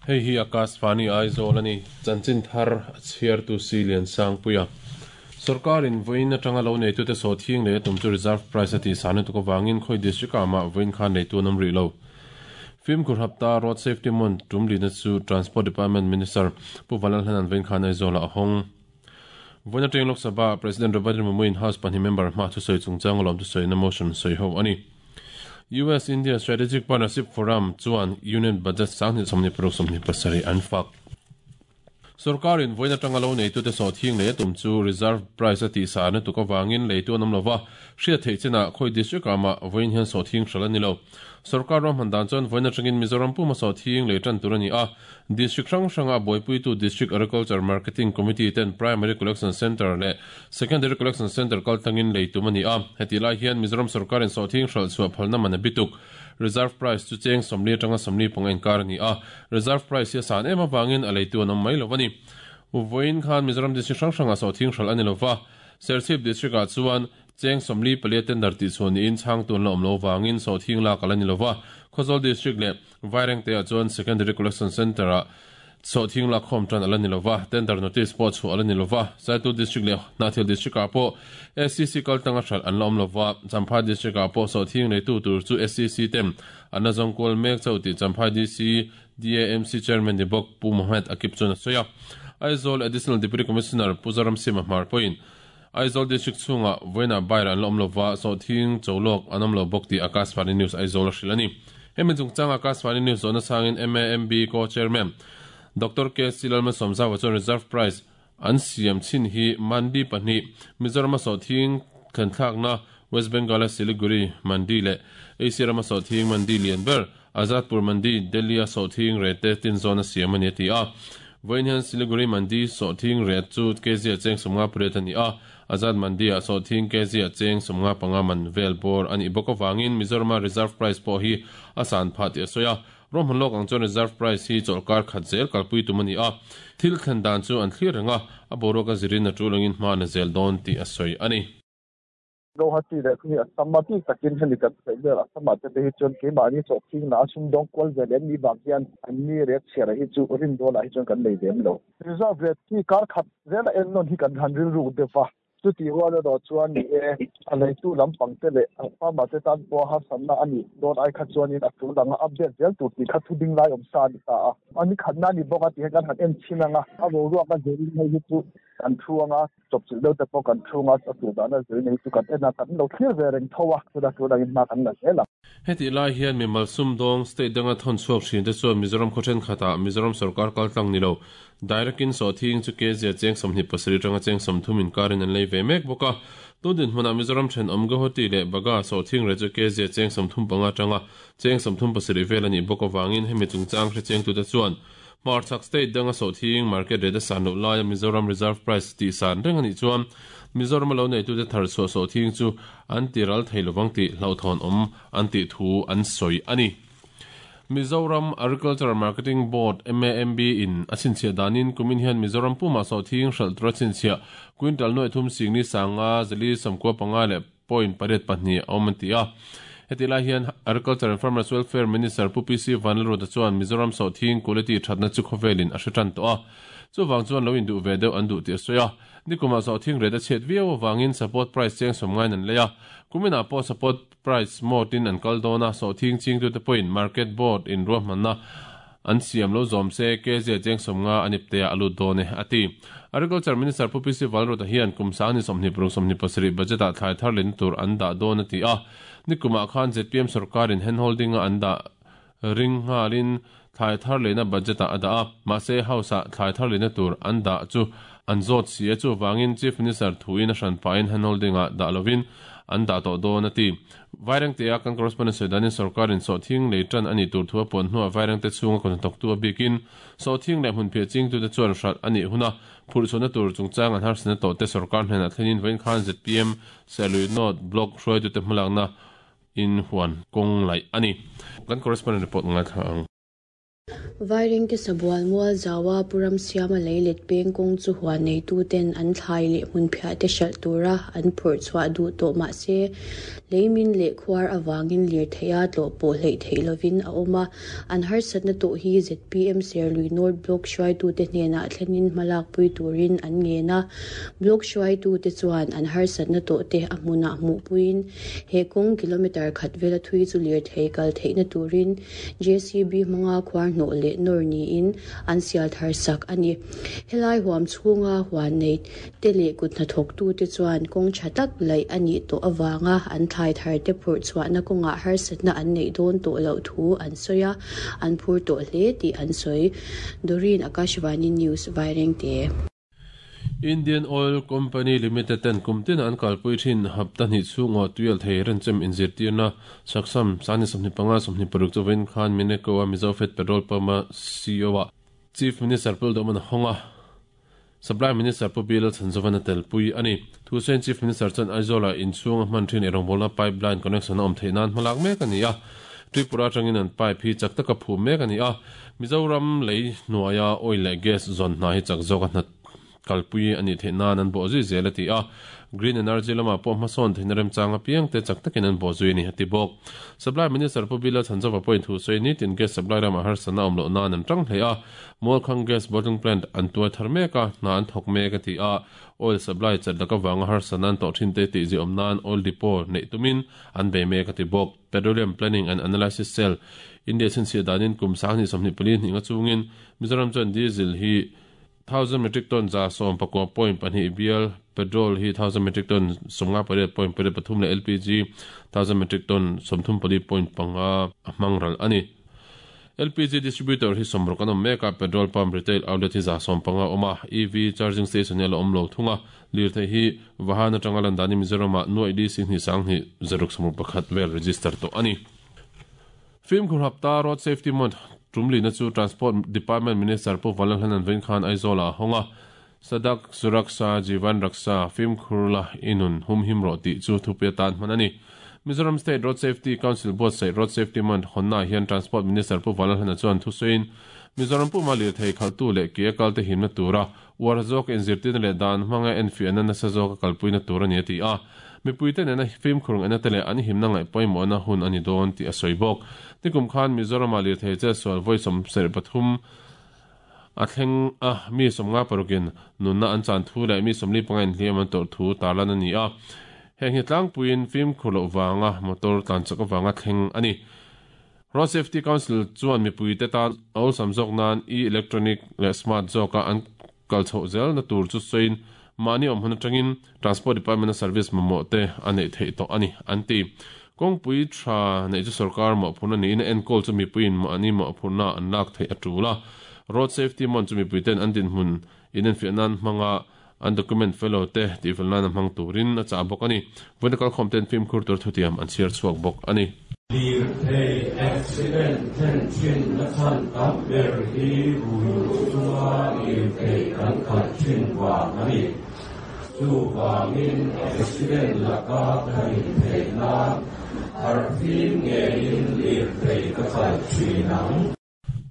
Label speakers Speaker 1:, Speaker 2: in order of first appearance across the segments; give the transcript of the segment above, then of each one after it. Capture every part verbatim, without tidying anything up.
Speaker 1: Hei hi Akashvani Aizawl ani chanchin thar a chhiar tu si lian sang puia sarkarin voin atanga lo nei tu te so thing le tum chu reserve price ati sanu tu ko wangin khoi district ama voin khan nei tu nam ri lo film kur hapta road safety mon tum lina chu transport department minister pu Valal Hanan voin khan Aizawl a hong voin ateng Lok Sabha President Robert Murmu in house pani member ma chu soi chungchang lom chu soi na motion soi ho ani U S India Strategic Partnership Forum chuan Union Budget sangni somni paruk somni pasari anfak sarkarin voina tanga lo nei tu te so thing le tum chu reserve price ati sa na tu ka wangin le tu nam lova hria thei chena khoi district ama voin hian so thing hrala ni lo sarkar ram handan chuan voina tangin Mizoram puma so thing le tan turani a district hrang hranga boipui tu district agriculture marketing committee ten primary collection center le secondary collection center kal tangin le tumani a heti lai hian Mizoram sarkarin so thing hral chu phalna man bituk reserve price chu cheng somli tanga somli pongen kar ni a reserve price ya san ema wangin alei tu anam mai lovani voin khan Mizoram district hrang hranga so thing hral ani lova Serchhip district a chuan cheng somli palia tender ti chuan in chang tun la omlo wangin so thing la kalani lova Khawzawl district le Vaireng te a chuan secondary collection center a so thing la khom tan alani lova tender notice po chu alani lova Saitu district le Hnahthial district a po S C C kal tanga hral an la om lova Champhai district a po so thing le tu tur chu S C C tem anazong kol mek chauti Champhai D C D A M C chairman ni bok Pu Mohammed Akip chuna soya Aizawl additional deputy commissioner Puzaram Sima Hmar point Aizawl district chunga voina baira an la om lova so thing cholok anam lo bok ti Akashvani News Aizawl hrilani hemi chungchang Akashvani News zona sangin M A M B co chairman Doctor K C Lalma Somza wa reserve price an siam chin hi mandi pahnih Mizoram so thing khan na West Bengal Siliguri mandi le Asia rama so thing mandi lian ber Azadpur mandi Delhi so thing rate tin zona siam ani ti a voin hian Siliguri mandi so thing rate chu kg cheng somnga pret ani a Azad mandi a so thing kg cheng somnga panga man vel bor ani bok awangin Mizoram reserve price po hi asan pha ti soya rom hun lok ang chuan reserve price hi chawlkar khat zel kalpui tumani a thil thlen dan chu an thlir renga a boruak a zirin a tulangin hma na zel dawn ti a sawi ani
Speaker 2: Guwahati le khuni asamati takin heli kan vel asama te hi chuan ke mani so thing na sum dong kwal vel ni bang hian an ni ret chera hi chu rin dola hi chuan kan nei dem lo reserve rate hi kar khat zel en non hi kan han ril ru defa chu ti wa do chuan ni e alai tu lampang te le farmer te tan po ha sanna ani don ai kha chuan in a tu dang update zel tu ti kha thu ding lai om sa ni ta a ani khatna ni boka ti kan han en chinanga a bo ruwa ka zelin hei hi chu kan thuanga chop chil deuh te pawh kan thunga a tu dana zel nei chu kan ena kan lo thlir ve reng thowa chu da tu dangin ma kan la zela
Speaker 1: heti lai hian mi malsum dong state danga thon chuak thin te chuan Mizoram khawthen khata Mizoram sarkar kal tlang ni lo direct in so thing chu ke zia cheng somhni pasarih tanga cheng somthum in karin an lei ve mek boka tundin hmuna Mizoram then omga hoti le baga so thing re chu ke zia cheng somthum panga tanga cheng somthum pasarih vel ani boka wangin hemi chungchang hre cheng tu te chuan Marchak state danga so thing market rate san lo lai Mizoram reserve price ti san reng ani chuan Mizoram lo nei tu te thar so so thing chu an ti ral thei lovang ti hlauthon om an ti thu an soi ani Mizoram Agricultural Marketing Board M A M B in achin chia danin kumin hian Mizoram puma so thing hral tra chin chia quintal noi thum sing ni sanga zali samkwa panga le point pariat pahnih awm an ti a heti lai hian Agriculture and Farmers Welfare Minister Pu P C Vanlalruata chuan Mizoram so thing quality thatna chu khawvelin a hre tan tawh a chuwang chuan lo in duh ve deuh an duh ti a sawi a nikuma so thing rate a chhiat viau awangin support price cheng som ngain an lei a kumina pawh support price mode in an kal dawn a so thing ching tu te pawhin market board in ruahmanna an siam lo zawm se ke zia cheng som nga anip te a lut dawn e ati Agriculture Minister Pu P C Vanlalruata hian kum sang ni sawmhnih paruk sawmhnih pasarih budget ah thlai thar len tur an dah dawn a ti a nikuma khan Z P M sarkarin handholding a an dah ring ngalin thlai thar lena budget ah a dah a mahse house ah thlai thar lena tur an dah chu an zawt si a chu wangin Chief Minister thuin a hran pahin handholding ah dah lovin an dah tawh dawn a ti Vaireng te a kan correspondent sawi sarkarin sawhthing lei tan ani tur thu a pawn hnuah Vaireng te chhunga kawhnathawk tu a bikin sawhthing leh hmun phiah ching tu te chuan hral ani huna phurhchhuahna tur chungchang an harsana tawh te sarkar hnenah thlenin vawiin khan Z P M Serlui North Block hruai tu te hmalakna in huan kawng laih ani kan correspondent report ngai thla ang.
Speaker 3: Vairengte sabual mual zawa puram siama leilet peng kawng chu huan neitu ten an thlai leh hmun phiah te hralh tura an phurh chhuah duh tawh mahse leimin leh khuar awangin lir theia tlawh pawh hleih theih lovin a awm a an harsatna tawh hi Z P M Serlui North Block hruaitute hnenah thlenin hmalak pui turin an ngen a block hruaitute chuan an harsatna tawh te a hmunah hmuh puiin he kawng kilometer khat vela thui chu lir thei kal theihna turin J C B hmanga khuar hnawh leh nor niin an sial thar sak ani helai huam chhunga huan nei te leh kut hnathawk tu te chuan kawng tha tak laih ani tawh awanga an thlai thar te phurh chhuahna kawngah harsatna an neih dawn tawh loh thu an sawi a an phur tawh hle tih an sawi Dorin Akashvani News Vairengte.
Speaker 1: Indian Oil Company Limited ten kumtin an kalpui thin hapta hnih chhunga tuial thei renchem inzirtirna saksam sani sawmhnih panga sawmhnih paruk chuwin khan Mineko a Mizofet Petrol Pump a C E O a Chief Minister Puldoman honga Supply Minister Pu Bill Chanzovana telpui ani Thusain Chief Minister chan Aizola inchhunga hman thin erawngbolna pipeline connection a awm theih nan hmalak mek ani a Tripura tangin an pipe hi chak taka phu mek ani a Mizoram lei hnuaia oil leh gas zawn hna hi chak zawk a hna kalpui ani theih nan an bawh zui zel a ti a green energy lama pawh hmasawn theihna remchanga piang te chak takin an bawh zui ni a ti bawk Supply Minister Pu Bill Chanzova pawhin thu sawi ni tin gas supply rama harsatna awm loh nan an tang hle a Mualkhang gas bottling plant an tuai thar mek a hna an thawk mek a ti a oil supply chat laka wanga harsatna an tawh thin te tih zui awm nan oil depot neih tumin an bei mek a ti bawk Petroleum Planning and Analysis Cell India chhinchhiah danin kum sanghnih sawmhnih pali hnih nga chungin Mizoram chuan diesel hi thousand metric ton za som pakua point pahnih bial petrol hi thousand metric ton somnga pariat point pariat pathum leh L P G thousand metric ton sawmthum pali point panga a hmangral ani L P G distributor hi somruk an awm mek a petrol pump retail outlet hi za sawm panga awm a E V charging station hi a la awm lo thunga lirthei hi vahan atanga lan dani Mizoram ah nuai D C hnih sanghnih zaruk sawmruk pakhat vel register tawh ani Fimkhur hapta road safety month Tumli na chu Transport Department Minister Pu Vanlalhlanan Veng Khan Aizawl a honga Sadak Suraksha Jivan Raksha Fimkhurla Inun Humhim ro ti chu thupia tan hman ani Mizoram State Road Safety Council Board sai Road Safety Month honna hian Transport Minister Pu Vanlalhlana chuan thusawiin Mizoram pu mali thei khaltu leh ke kalte himna tura war zawk inzirtirna leh dan hmanga enfiahna nasa zawk a kalpuina tur ani a ti a mipuite nena fimkhur ena te leh an himna ngaih pawimawhna hun ani dawn tih a sawi bawk tikum khan Mizoram a lirthei che sual vawi sawm sarih pathum a thleng a mi sawmnga parukin nunna an chan thu leh mi sawmli panga inhliam an tawrh thu tarlan ani a heng hi tlangpuiin fimkhur loh wanga motor tlan chak awanga thleng ani Road Safety Council chuan mipuite tan awlsam zawk nan e-electronic leh smart zawka an kalchhoh zel na tur chu sawiin mahni awm hun atangin Transport Department a service mamawh te a neih theih tawh ani an ti kawngpui tha neih chu sarkar mawhphurna niin a enkawl chu mipuiin mahni mawhphurna an lak theih a tul a Road Safety Month chu mipuiten an dinhmun inenfiah nan hmanga an document fellow te tihfel nan a hmang turin a chah bawk ani vawiin kalkhawm ten fimkhur tur thutiam an chhiar chhuak bawk ani
Speaker 4: Lirthei accident then thin na chan tam ber hi rui chunga lirthei kan khalh thin vang ani chu vangin accident laka ka intheih nan harhfim ngeiin lirthei ka khalh thin ang.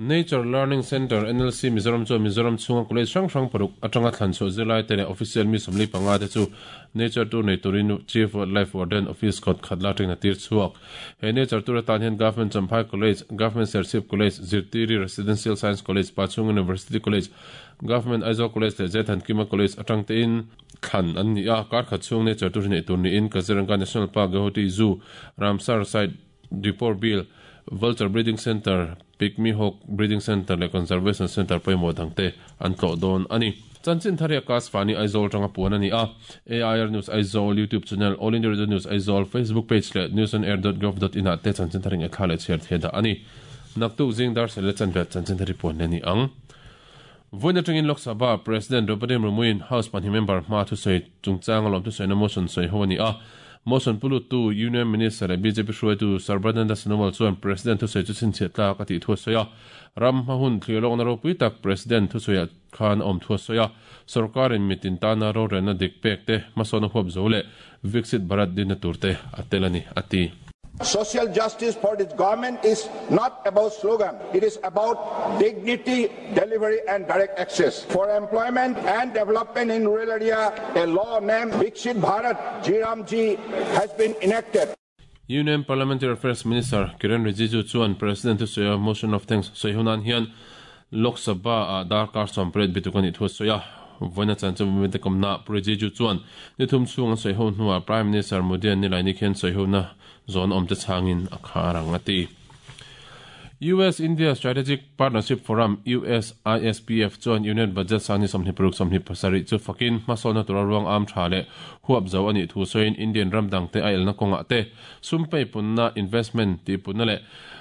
Speaker 1: Nature Learning Center N L C Mizoram chu Mizoram chhunga college hrang hrang paruk atanga thlan chhuah zirlai te leh official mi sawmli panga te chu Nature Tour nei turin Chief Wildlife Warden Office kawt khat la tengna tir chhuak he Nature Tour atan hian Government Champhai College Government Serchhip College Zirtiri Residential Science College Pachhung University College Government Aizawl College leh Zethankima College atang te in thlan an ni a kar khat chhung Nature Tour nei tur niin Kaziranga National Park Guwahati Zoo Ramsar Site Dipor Bill Vulture Breeding Center Pygmy Hawk Breeding Center leh Conservation Center pawimawh dangte an tlawh dawn ani chanchin thar hi Akashvani Aizawl tanga puan ani a A I R News Aizawl YouTube channel All India Radio News Aizawl Facebook page leh news on air dot gov dot in ah te chanchin thar eng thla leh chhiar the dah ani naktuk zing dar sel chan vet chanchin thar puan ani ang Vawiin atangin Lok Sabha President Draupadi Murmuin House pahnih member hma thusawi chungchang alawm thusawi na motion sawi ho ani a motion pulu tu Union Minister leh B J P hruaitu Sarbananda Sonowal chuan President thusawi chu chhinchhiah tlak a tih thu a sawi a ram hma hun thlir lawkna ropui tak President thusawi ah khan a awm thu a sawi a sarkarin mitin tana rorelna dik pek te hmasawn a huap zo leh Viksit Bharat dinna tur te a tel ani a ti.
Speaker 5: Social justice for this government is not about slogan. It is about dignity, delivery and direct access. For employment and development in rural area, a law named Viksit Bharat G RAM G has been enacted.
Speaker 1: Union Parliamentary Affairs Minister Kiren Rijiju chuan President thu sawi a motion of thanks sawi hunan hian Lok Sabha a darkar sawmpariat bituk a nih thu a sawi a. Vawiina chanchin mite kawmna Pu Rijiju chuan ni thum chhung an sawi ho hnuah Prime Minister Modi an nilaini khian sawi hona zawn awmte chhangin a khar ang a ti. U S India Strategic Partnership Forum U S I S P F chuan Union Budget sangni sawmhnih paruk sawmhnih pasarih chu fakin hmasawnna tura ruang am tha leh huap zo a nih thu sawiin Indian ramdang te a elna kawngah te sum pei punna investment tih punna leh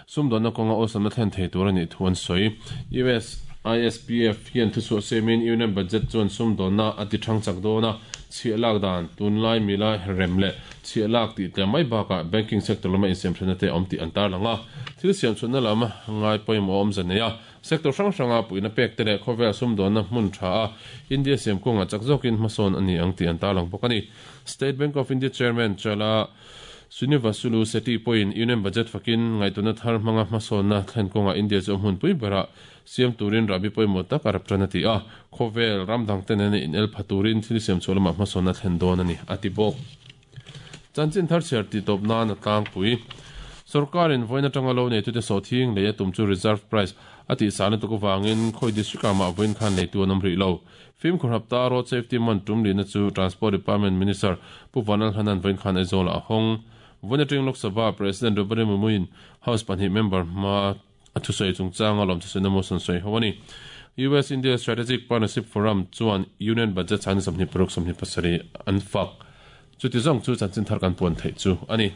Speaker 1: sumdawnna kawnga awlsamna thlen thei tur a nih thu an sawi. U S I S P F hian thu chhuah semin Union Budget chuan sumdawnna a ti thang chak dawn a, chhiah lak dan tunlai mila rem leh chhiah lak tih tlem mai bakah banking sector lama insiamthatna te awm tih an tarlang a. Thil siamchhunna lam ngai pawimawh awm zan nei a, sector hrang hranga puihna pek te leh khawvel sumdawnna hmun tha a India siam kawnga chak zawkin hmasawn a ni ang tih an tarlang bawk a ni. State Bank of India Chairman Chala Srinivasulu Sethi pawhin Union Budget fakin ngaihtuahna thar hmanga hmasawnna thlen kawnga India chu a hmun pui berah siam turin rabi pawimawh tak a rap tan a ti a, khawvel ramdang te nena in el pha turin thil siam chhuah lamah hmasawnna thlen dawn a ni a ti bawk. Chanchin thar chhiar tih tawp nan a tlangpui. Sarkarin vawiin atanga lo neitute sawhthing lei a tum chu reserve price a tih sahna tuk avangin khawi district ah mah vawiin khan leitu an awm rih lo. Fimkhur hapta road safety man tum lihna chu Transport Department Minister Pu Vanal Hanan vawiin khan Aizawl ah a hawng. Vawiin atang Lok Sabha President Draupadi Murmu-in House pahnih member hma a thusawi chungchanga lawm thusawi motion sawi ho a ni. U S India Strategic Partnership Forum chuan Union Budget sangni sawmhnih paruk sawmhnih pasarih an fak. Chuti zawng chu chanchin thar kan puan theih chu a ni.